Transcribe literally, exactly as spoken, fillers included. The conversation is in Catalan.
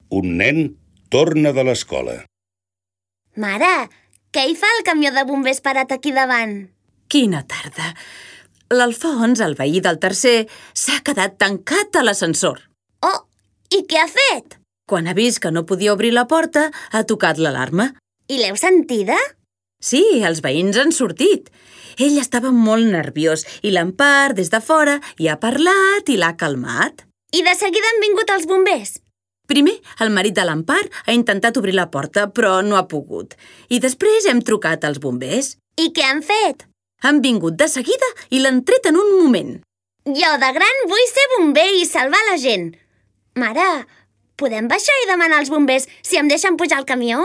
Un nen torna de l'escola. Mare, què hi fa el camió de bombers parat aquí davant? Quina tarda! L'Alfons, el veí del tercer, s'ha quedat tancat a l'ascensor. Oh, i què ha fet? Quan ha vist que no podia obrir la porta, ha tocat l'alarma. I l'heu sentida? Sí, els veïns han sortit. Ell estava molt nerviós i l'Empar, des de fora, hi ha parlat i l'ha calmat. I de seguida han vingut els bombers? Primer, el marit de l'Empar ha intentat obrir la porta, però no ha pogut. I després hem trucat als bombers. I què han fet? Han vingut de seguida i l'han tret en un moment. Jo de gran vull ser bomber i salvar la gent. Mare, podem baixar i demanar als bombers si em deixen pujar al camió?